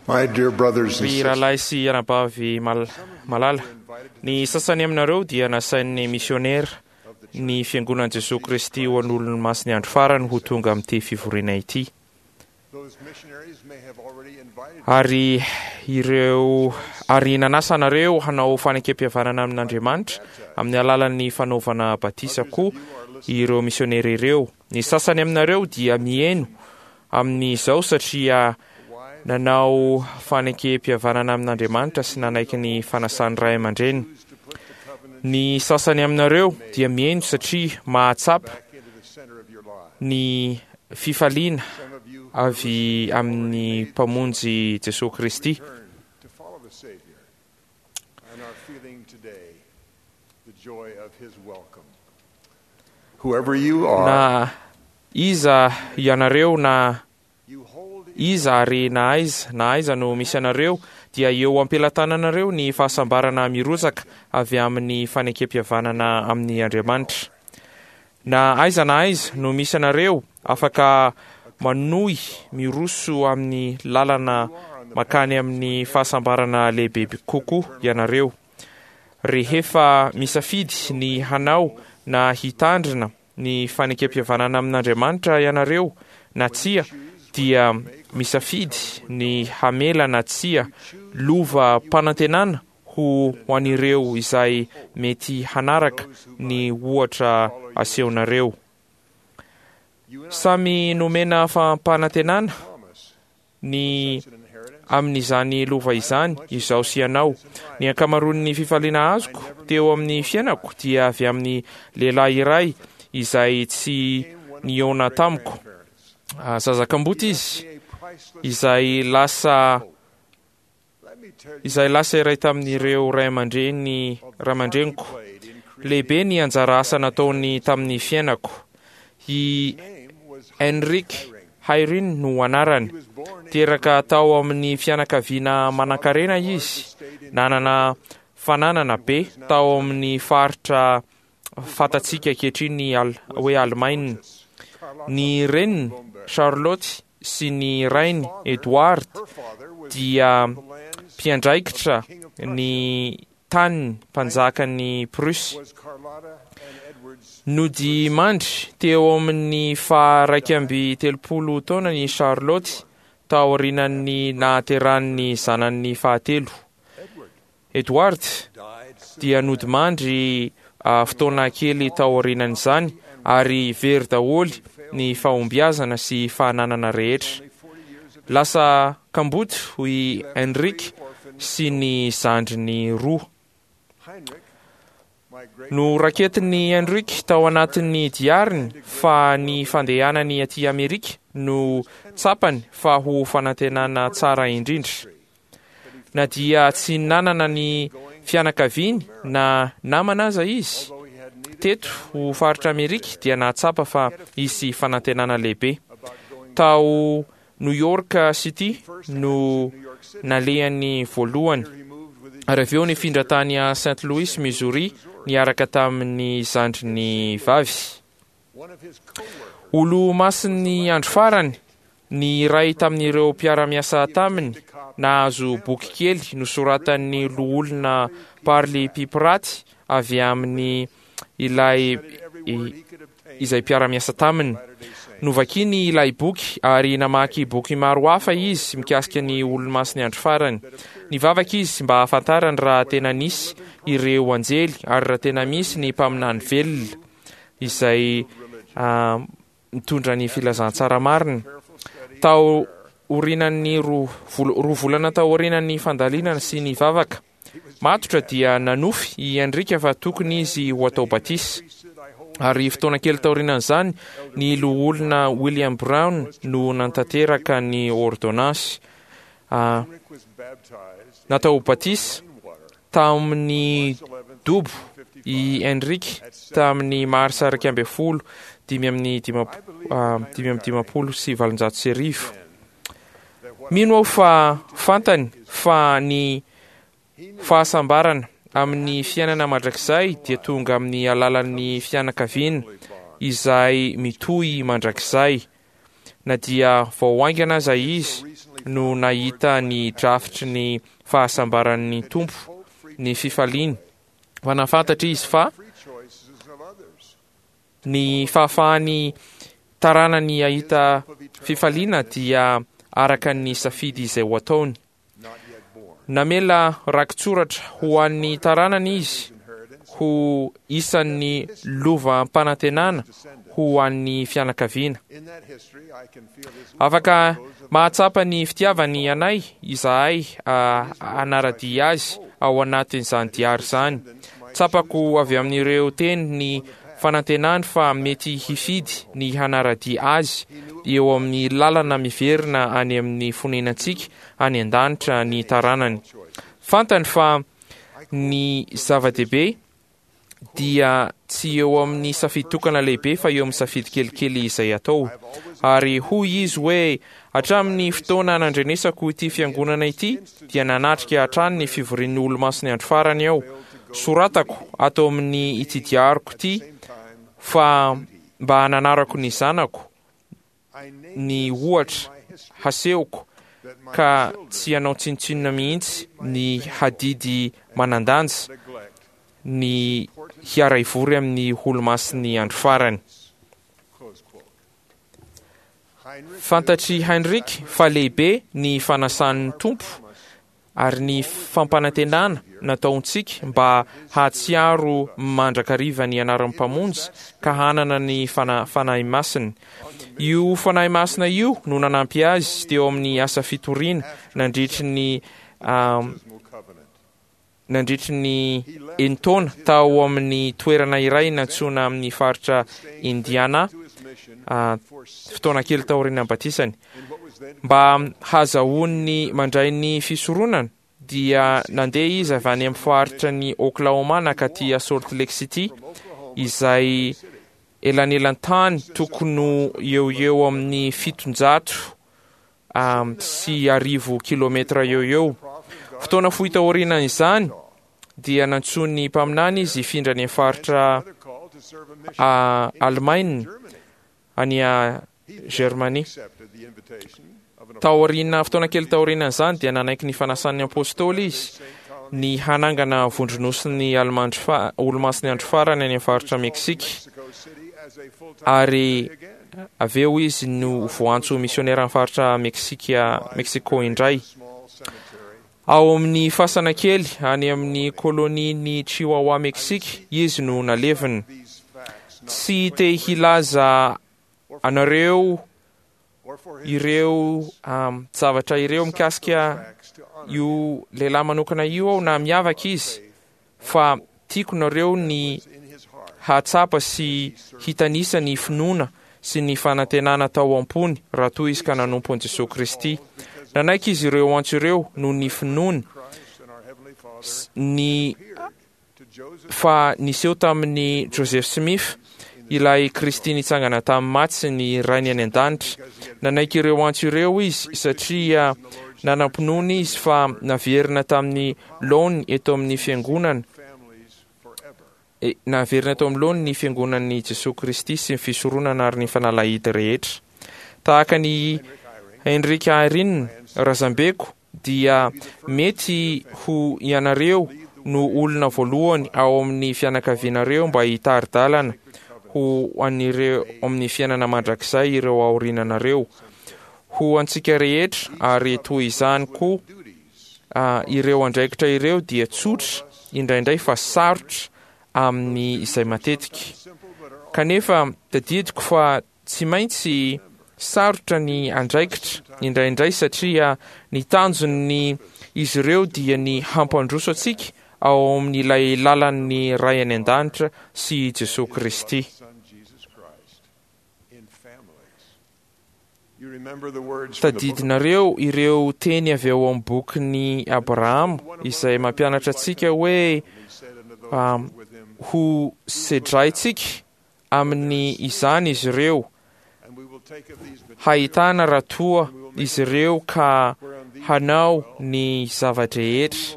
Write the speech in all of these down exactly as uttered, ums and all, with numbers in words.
My dear brothers and Ry sisters, rahalahy sy anabavy mal- malala, ny sasany aminareo dia nasain'ny misionera ny fiangonan'i Jesoa Kristy ho an'olon'ny masin'ny andro farany ho tonga amin'ity fivoriana ity. those missionaries may have already invited Ary ireo ary nanasa anareo hanao fanekempihavanana amin'Andriamanitra amin'ny alalan'ny fanaovana batisa koa ireo misionera ireo. Ny sasany aminareo dia mihaino amin'izao satria nanao fanekempihavanana amin'Andriamanitra sy nanaiky ny fanasan'ny ray aman-dreny. Ny sasany aminareo dia mihaino satria mahatsapa back into the center of your lives. ny fifaliana Some of you avy amin'ny Mpamonjy Jesoa Kristy. turn to follow the Savior and are feeling today the joy of his welcome. Whoever you are, Na iza ianareo na you hold iza ary na aiza na aiza no misy anareo dia eo am-pelatananareo ny fahasambarana mirotsaka avy amin'ny fanekempihavanana amin'ny Andriamanitra. Na aiza na aiza no misy anareo, afaka manohy miroso amin'ny lalana makany amin'ny fahasambarana lehibe kokoa ianareo. Rehefa misafidy ny hanao na hitandrina ny fanekempihavanana amin'Andriamanitra ianareo na tsia, dia misafidy ny hamela na tsia lova mpanantenana ho ho an'ireo izay mety hanaraka ny ohatra asehonareo. you and I Samy nomena fampanantenana promise ny such an inheritance. amin'izany lova izany izaho sy ianao. Ny ankamaroan'ny fifaliana azoko teo amin'ny fiainako dia avy amin'ny lehilahy iray izay tsy nihaona tamiko. Grandparents. Ah, Zaza kamboty izy A priceless izay lasa Let me tell you izay lasa iray tamin'ireo ray aman-dreny ray aman-dreniko. played in creating Lehibe ny anjara asa nataony tamin'ny fiainako. I name was Henrik Hayrin no anarany. He was born in Teraka tao amin'ny fianakaviana manankarena izy. Nanana fananana be tao amin'ny faritra fantatsika ankehitriny al- hoe Alemaina. Carlotta Ny reniny Charlotte sy ny rainy Edward Her father was dia the lands mpiandraikitra ny taniny mpanjakan'ny Prusse. was Carlotta and Edward's Nodimandry teo amin'ny faha-iraika amby telopolo taona ny Charlotte taorian'ny nahaterahan'ny zanany fahatelo. Edward Edward died soon dia nodimandry ah, fotoana kely taorian'izany ary very daholo ny fahombiazana sy fananana rehetra. only forty years of Lasa kamboty i Henrik sy ny zandriny roa. Heinrich, my great Noraketin'i Henrik tao anatin'ny diariny fa ny fandehanany aty Amerika no tsapany fa ho fanantenana tsara indrindra. Na dia tsy nanana ny fianakaviany na namana aza izy although he had neither teto ho faritra Amerika dia nahatsapa fa hisy fanantenana lehibe. about going Tao New York City no to New York City. nalehany voalohany. Here he moved with his Ary avy eo nifindra tany a Saint Louis, Missouri, niaraka tamin'ny zandriny vavy. one of his co-workers Olo-masin'ny andro farany, ny iray tamin'ireo mpiara-miasa taminy nahazo boky kely nosoratan'ny loholona Parley P. Pratt avy amin'ny ilay every word he could obtain izay mpiara-miasa taminy. Latter-day Saints. Novakiny ilay boky ary namaky boky maro hafa izy mikasika ny olo-masin'ny andro farany. Nivavaka izy mba hahafantarany raha tena nisy ireo anjely ary raha tena misy ny mpaminany velona izay ah, mitondra ny filazantsara marina. Careful study Tao orinan'ny roa vol- roa volana tao orinan'ny fandalinana sy ny vavaka matotra dia nanofy i Henrika fa tokony izy ho atao batisa. priesthood I hold Ary fotoana kely taorianan'izany, ny loholona William Brown no nantanteraka ny ordonnance. Ah, Heinrich was baptized natao batisa in water tamin'ny eleventh dobo i Henrik tamin'ny marsa iraika ambin'ny folo dimy amin'ny dimap- ah, dimy amby dimampolo sy valonjato sy arivo. that what Mino aho fa fantany fa ny he knew fahasambarana amin'ny fiainana mandrakizay dia tonga amin'ny alalan'ny fianakaviana bond izay mitohy mandrakizay. Na dia vao haingana aza izy no nahita ny drafitry ny fahasambaran'ny Tompo, ny fifaliany, fa nahafantatra izy fa ny fahafahany taranany hahita fifaliana dia araka ny safidy izay ho ataony. Namela rakitsoratra ho an'ny taranany izy ho isan'ny lovam-panantenana ho an'ny fianakaviana. Afaka mahatsapa ny fitiavany anay izahay hanara-dia azy ao anatin'izany diary izany. Tsapako avy amin'ireo teny ny fanantenany fa mety hifidy ny hanara-dia azy eo amin'ny lalana miverina any amin'ny fonenantsika any an-danitra ny taranany. Fantany fa ny zava-dehibe dia tsy eo amin'ny safidy tokana lehibe fa eo amin'ny safidy kelikely izay atao. Ary hoy izy hoe hatramin'ny fotoana nandrenesako ity fiangonana ity dia nanatrika hatrany ny fivorian'ny Olomasin'ny andro farany aho. Soratako ato amin'ny ity diariko ity fa mba hananarako ny zanako ny ohatra hasehoko ka tsy hanao tsinontsinona mihitsy ny hadidy manan-danja ny hiara-hivory amin'ny Olomasin'ny andro farany. Fantatry Heinrich fa lehibe ny fanasan'ny Tompo ary ny fampanantenana nataontsika mba hahatsiaro mandrakariva ny anaran'ny Mpamonjy ka hanana ny fana- Fanahy Masina. Io Fanahy Masina io no nanampy azy teo amin'ny asa fitoriana nandritry ny um, nandritry ny enin-taona tao amin'ny toerana iray nantsoina amin'ny faritra Indiana, uh, fotoana kely taorian'ny batisany. Mba hahazahoany mandray ny fisoronana dia nandeha izy avy any amin'ny faritra ny Oklahoma nankaty Salt Lake City, izay elanelan-tany tokony eo eo amin'ny fitonjato um, sy arivo kilometra eo eo. Fotoana fohy taorian'izany dia nantsoin'ny mpaminany izy hifindra any amin'ny faritra uh, Allemagne any a Germanie. Taoriana fotoana kely taorian'izany dia nanaiky ny fanasan'ny apôstôly izy ny hanangana vondronosin'ny Alemandro fa- Olomasin'ny andro farany any amin'ny faritra Meksika, ary avy eo izy no voantso misionera amin'ny faritra Meksika Mexico indray. Ao amin'ny fasana kely any amin'ny kolonian'ny Chihuahua Meksika izy no nalevina. Tsy te hilaza anareo ireo um, zavatra ireo mikasika io lehilahy manokana io aho na miavaka izy, fa tiako nareo ny hahatsapa sy hitanisa ny finoana sy ny fanantenana tao am-pony raha toa izy ka nanompo an'i Jesosy Kristy. Nanaiky izy ireo antso ireo noho ny finoany ny fa niseho tamin'ny Joseph Smith ilay Kristy nitsangana tamin'ny maty sy ny Rainy any an-danitra. Nanaiky ireo antso ireo izy satria nanam-pinoana izy fa naverina tamin'ny laoniny eto amin'ny fiangonana, e, naverina eto amin'ny laoniny ny fiangonan'i Jesosy Kristy sy ny fisoronana ary ny fanalahidy rehetra. Tahaka ny Heinrich Eyring razambeko dia mety ho ianareo no olona voalohany ao amin'ny fianakavianareo mba hitari-dalana ho an'ireo amin'ny fiainana mandrakizay ireo aoriananareo. Ho antsika rehetra, ary toy izany koa uh, ireo andraikitra ireo dia tsotra indraindray fa sarotra amin'ny izay matetika. Kanefa tadidiko fa tsy maintsy sarotra ny andraikitra indraindray satria ny tanjon'ny izy ireo dia ny hampandroso antsika ao amin'ilay lalan'ny Ray any an-danitra sy Jesosy Kristy. Tadidinareo ireo teny avy ao amin'ny bokin'i Abrahama izay mampianatra antsika hoe um, ho sedraintsika amin'ny izany izy ireo, hahitana raha toa izy ireo ka hanao ny zava-drehetra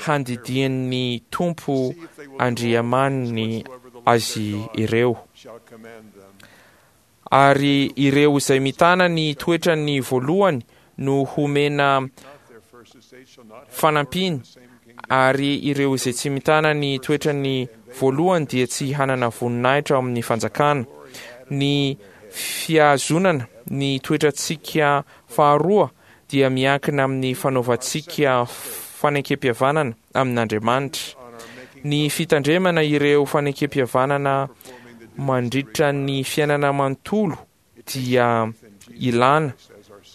handidian'ny Tompo Andriamaniny azy ireo. Ary ireo izay mitana ny toetrany voalohany no homena fanampiana, ary ireo izay tsy mitana ny toetrany voalohany dia tsy hanana voninahitra ao amin'ny fanjakana. Ny fihazonana ny toetrantsika faharoa dia miankina amin'ny fanaovantsika fanekempihavanana amin'Andriamanitra. Ny fitandremana ireo fanekempihavanana mandritra ny fiainana manontolo dia ilana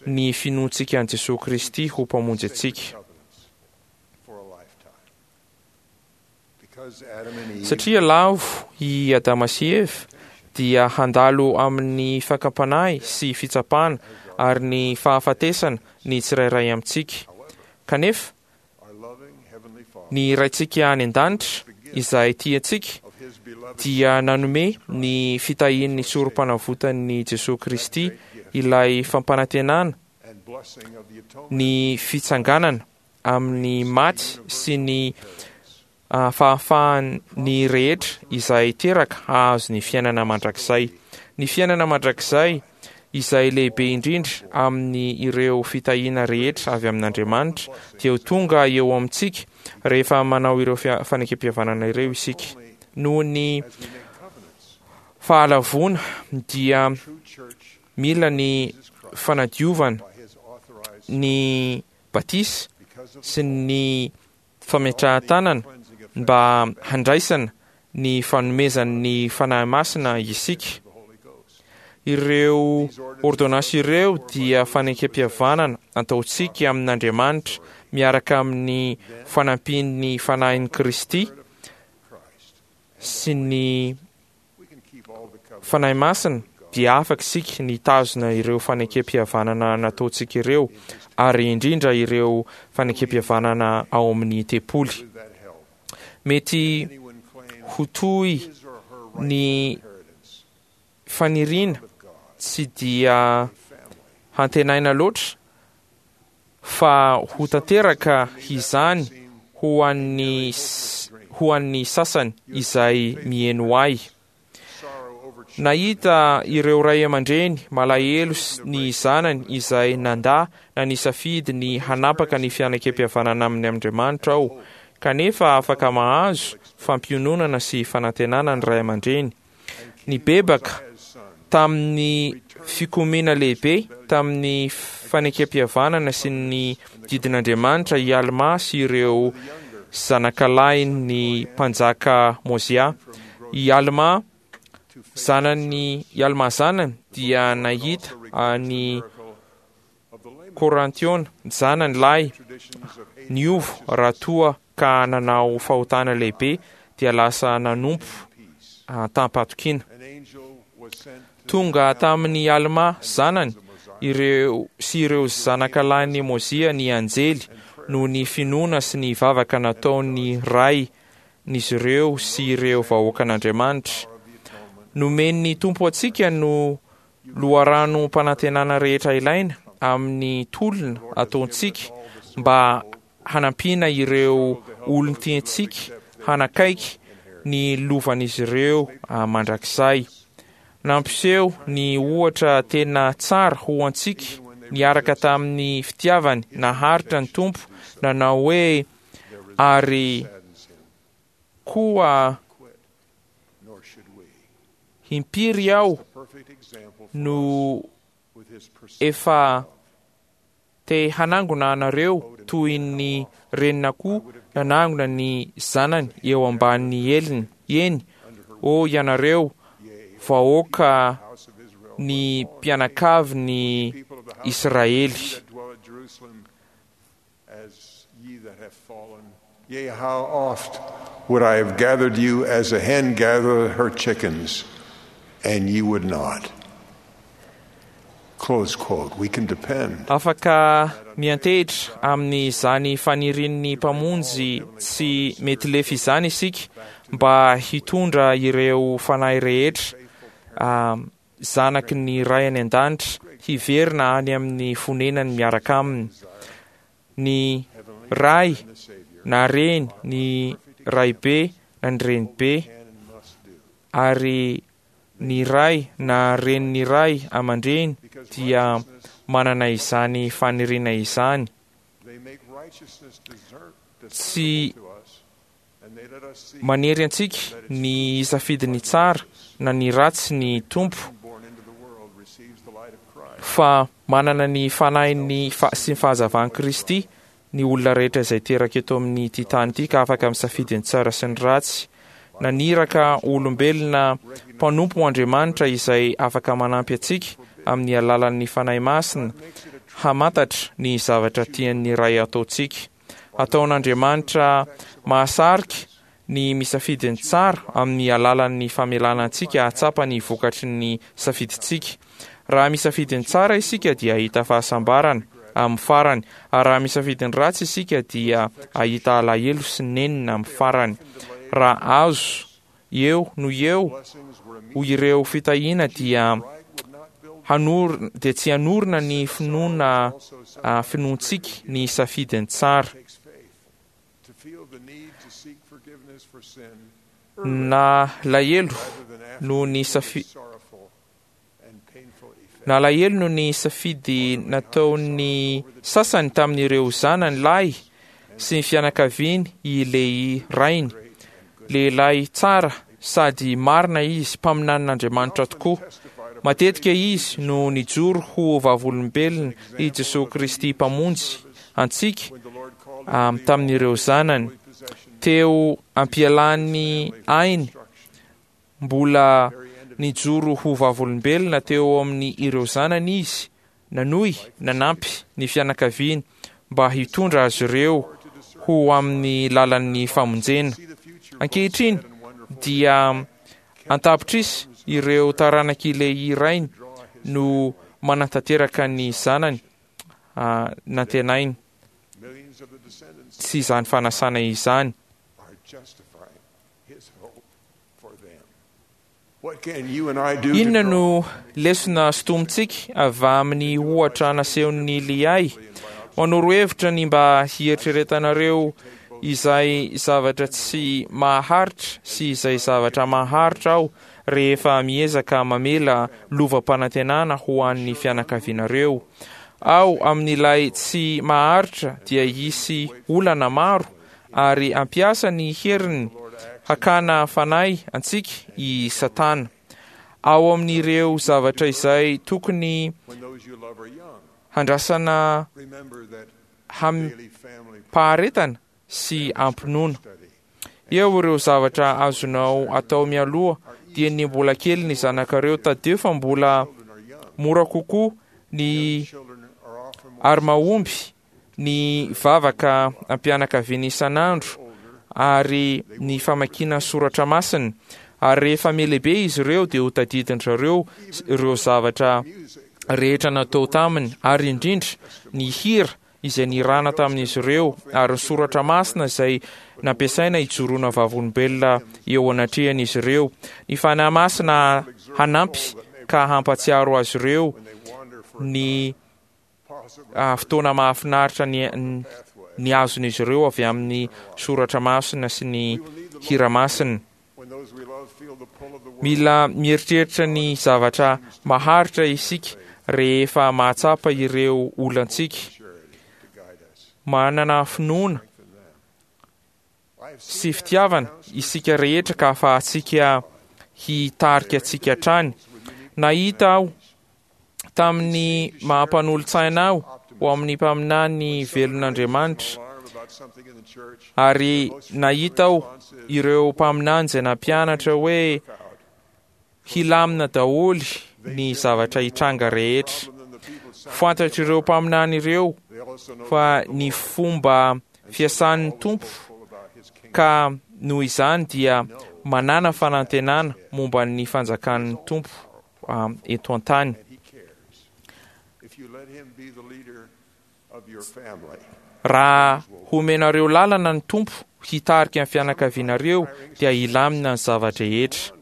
ny finoantsika an'i Jesoa Kristy ho mpamonjy antsika. Satria lavo i Adama sy Eva dia handalo amin'ny fakam-panahy sy fitsapana ary ny fahafatesana ny tsirairay amintsika. Kanefa ny Raintsika any an-danitra izay tia antsika dia nanome ny fitahian'ny sorom-panavotan'i Jesoa Kristy ilay fampanantenana ny fitsanganana amin'ny maty sy ny fahafahan'ny rehetra izay teraka hahazo ny fiainana mandrakizay. Ny fiainana mandrakizay izay lehibe indrindra amin'ny ireo fitahiana rehetra avy amin'Andriamanitra dia ho tonga eo amintsika rehefa manao ireo fanekempihavanana ireo isika. Noho ny fahalavoana dia mila ny fanadiovana ny batisa sy ny fametrahan-tanana mba handraisana ny fanomezan'ny Fanahy Masina isika. Ireo ordonnances ireo dia fanekempihavanana ataontsika amin'Andriamanitra miaraka amin'ny fanampian'ny Fanahin'i Kristy sy ny Fanahy Masina dia afaka isika ny hitazona ireo fanekempihavanana nataontsika ireo, ary indrindra ireo fanekempihavanana ao amin'ny tempoly. Mety ho toy ny faniriana tsy dia hantenaina loatra fa ho tanteraka izany ho an'ny ho an'ny sasany izay mihaino ahy. Nahita ireo ray aman-dreny malahelo ny zanany izay nandà na nisafidy ny hanapaka ny fianakempihavanana amin'ny Andriamanitra aho, kanefa afaka mahazo fampiononana sy fanantenana ny ray aman-dreny. Nibebaka tamin'ny fikomiana lehibe tamin'ny fanekempihavanana sy ny didin'Andriamanitra i Almà sy ireo zanakalahin'ny mpanjaka Môzià. I Almà zanany, i Almà zanany dia nahita an'i Korantiona zanany lahy niova raha toa ka nanao fahotana lehibe dia lasa nanompo tam-pahatokiana. Tonga tamin'i Almà zanany ireo sy ireo zanakalahin'i Môzià ny anjely noho ny finoana sy ny vavaka nataon'ny rain'izy ireo sy ireo vahoakan'Andriamanitra. Nomen'ny Tompo antsika no loharanom-panantenana rehetra ilaina amin'ny tolona ataontsika mba hanampiana ireo olon-tiantsika hanakaiky ny lovan'izy ireo mandrakizay. Nampiseho ny ohatra tena tsara ho antsika niaraka tamin'ny fitiavany naharitra ny Tompo nanao hoe, ary koa impiry aho no efa te hanangona anareo toy ny renin'akoho nanangona ny zanany eo ambanin'ny heliny. Eny, ô ianareo vahoaka ny mpianakavin'ny Israely. Yea, how oft would I have gathered you as a hen gathereth her chickens, and ye would not. Close quote. We can depend. Afaka miantehitra amin'izany fanirian'ny Mpamonjy tsy mety lefy izany isika mba hitondra ireo fanahy rehetra zanaky ny Ray any an-danitra hiverina any amin'ny fonenany miaraka aminy. Ny ray na reny, ny raibe na ny renibe ary Ny ray na renin'ny ray aman-dreny dia manana izany faniriana izany. Tsy manery antsika ny hisafidy ny tsara na ny ratsy ny Tompo, fa manana ny fanahin'ny sy ny fahazavan'i Kristy ny olona rehetra izay teraka eto amin'ity tany ity ka afaka misafidy ny tsara sy ny ratsy. Naniraka olombelona mpanompo Andriamanitra izay afaka manampy antsika amin'ny alalan'ny Fanahy Masina hamantatra ny zavatra tian'ny Ray ataontsika. Ataon'Andriamanitra mahasarika ny misafidy ny tsara amin'ny alalan'ny famelana antsika hahatsapa ny vokatry ny safidintsika. Raha misafidy ny tsara isika dia hahita fahasambarana amin'ny farany, ary raha misafidy ny ratsy isika dia hahita alahelo sy nenina amin'ny farany. Raha azo eo no eo ho ireo fitahiana dia hanor dia tsy hanorina ny finoana finoantsika ny safidy ny tsara. Nalahelo noho ny safi Nalahelo noho ny safidy nataon'ny sasany tamin'ireo zanany lahy sy ny fianakaviany i Lehi rainy. Lehilahy tsara sady marina izy, mpaminanin'Andriamanitra tokoa. Matetika izy no nijoro ho vavolombelona i Jesoa Kristy Mpamonjy antsika tamin'ireo zanany. Teo ampialan'ny ainy, mbola nijoro ho vavolombelona teo amin'ny ireo zanany izy, nanohy nanampy ny fianakaviany mba hitondra azy ireo ho amin'ny lalan'ny famonjena. Ankehitriny dia antapitrisa ireo taranak'i Lehi rainy no manatanteraka ny zanany nantenainy sy izany fanasana izany. Inona no lesona sintomintsika avy amin'ny ohatra nasehon'ny Lehi? Manoro hevitra ny mba hieritreretanareo izay zavatra tsy maharitra sy izay zavatra maharitra aho rehefa miezaka mamela lovam-panantenana ho an'ny fianakavianareo. Ao amin'ilay tsy maharitra dia hisy olana maro ary hampiasa ny heriny hakana fanahy antsika i Satana. Ao amin'ireo zavatra izay tokony handrasana hampaharetana sy ampinoana. Eo ireo zavatra azonao atao mialoha dia ny mbola kely ny zanakareo, tadidio fa mbola mora kokoa ny ary mahomby ny vavaka ampianakaviana isan'andro ary ny famakiana soratra masina. Ary rehefa mihalehibe izy ireo dia ho tadidin-dry ireo zavatra rehetra natao taminy, ary indrindra ny hira izay nirana tamin'izy ireo ary ny soratra masina izay nampiasaina hijoroana vavolombelona eo anatrehan'izy ireo. Ny Fanahy Masina hanampy ka hampatsiaro azy ireo ny fotoana mahafinaritra ny ny azon'izy ireo avy amin'ny soratra masina sy ny hira masina. Mila mieritreritra ny zavatra maharitra isika rehefa mahatsapa ireo olantsika. Manana finoana sy fitiavana isika rehetra ka ahafahantsika hitarika antsika hatrany. Nahita aho tamin'ny maha-mpanolotsaina aho ho amin'ny mpaminany velon'Andriamanitra, ary nahita aho ireo mpaminany izay nampianatra hoe hilamina daholo ny zavatra hitranga rehetra. Fantatr'ireo mpaminany ireo fa ny fomba fiasan'ny Tompo, ka noho izany dia manana fanantenana momba ny fanjakan'ny Tompo eto an-tany. Raha homenareo lalana ny Tompo hitarika ny fianakavianareo dia hilamina ny zava-drehetra.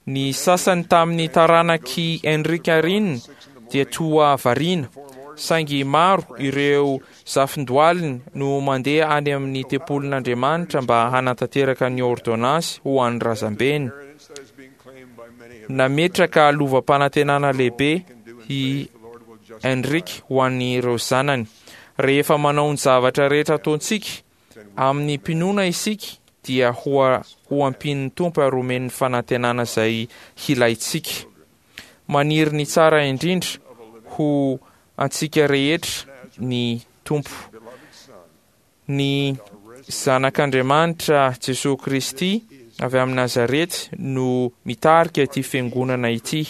Ny sasany tamin'ny taranak'i Henrik Arina dia toa variana, saingy maro ireo zafindoaliny no mandeha any amin'ny tempolin'Andriamanitra mba hanatanteraka ny ôrdônansy ho an'ny razambeny. Nametraka lovam-panantenana lehibe i Henryk ho an'ireo zanany. Rehefa manao ny zavatra rehetra ataontsika amin'ny mpinoana isika, dia ho ho ampian'ny Tompo ary omen'ny fanantenana izay hilaintsika. Maniry ny tsara indrindra ho antsika rehetra ny Tompo. Ny Zanak'Andriamanitra Jesosy Kristy avy amin'ny Nazarety no mitarika ity fiangonana ity,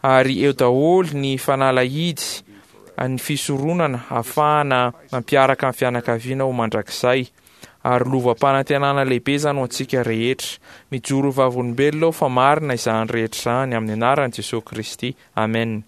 ary eo daholo ny fanalahidy ny fisoronana ahafahana mampiaraka ny fianakaviana ho mandrakizay, ary lovam-panantenana lehibe izany ho antsika rehetra. Mijoro vavolombelona aho fa marina izany rehetra izany amin'ny anaran'i Jesosy Kristy. Amen.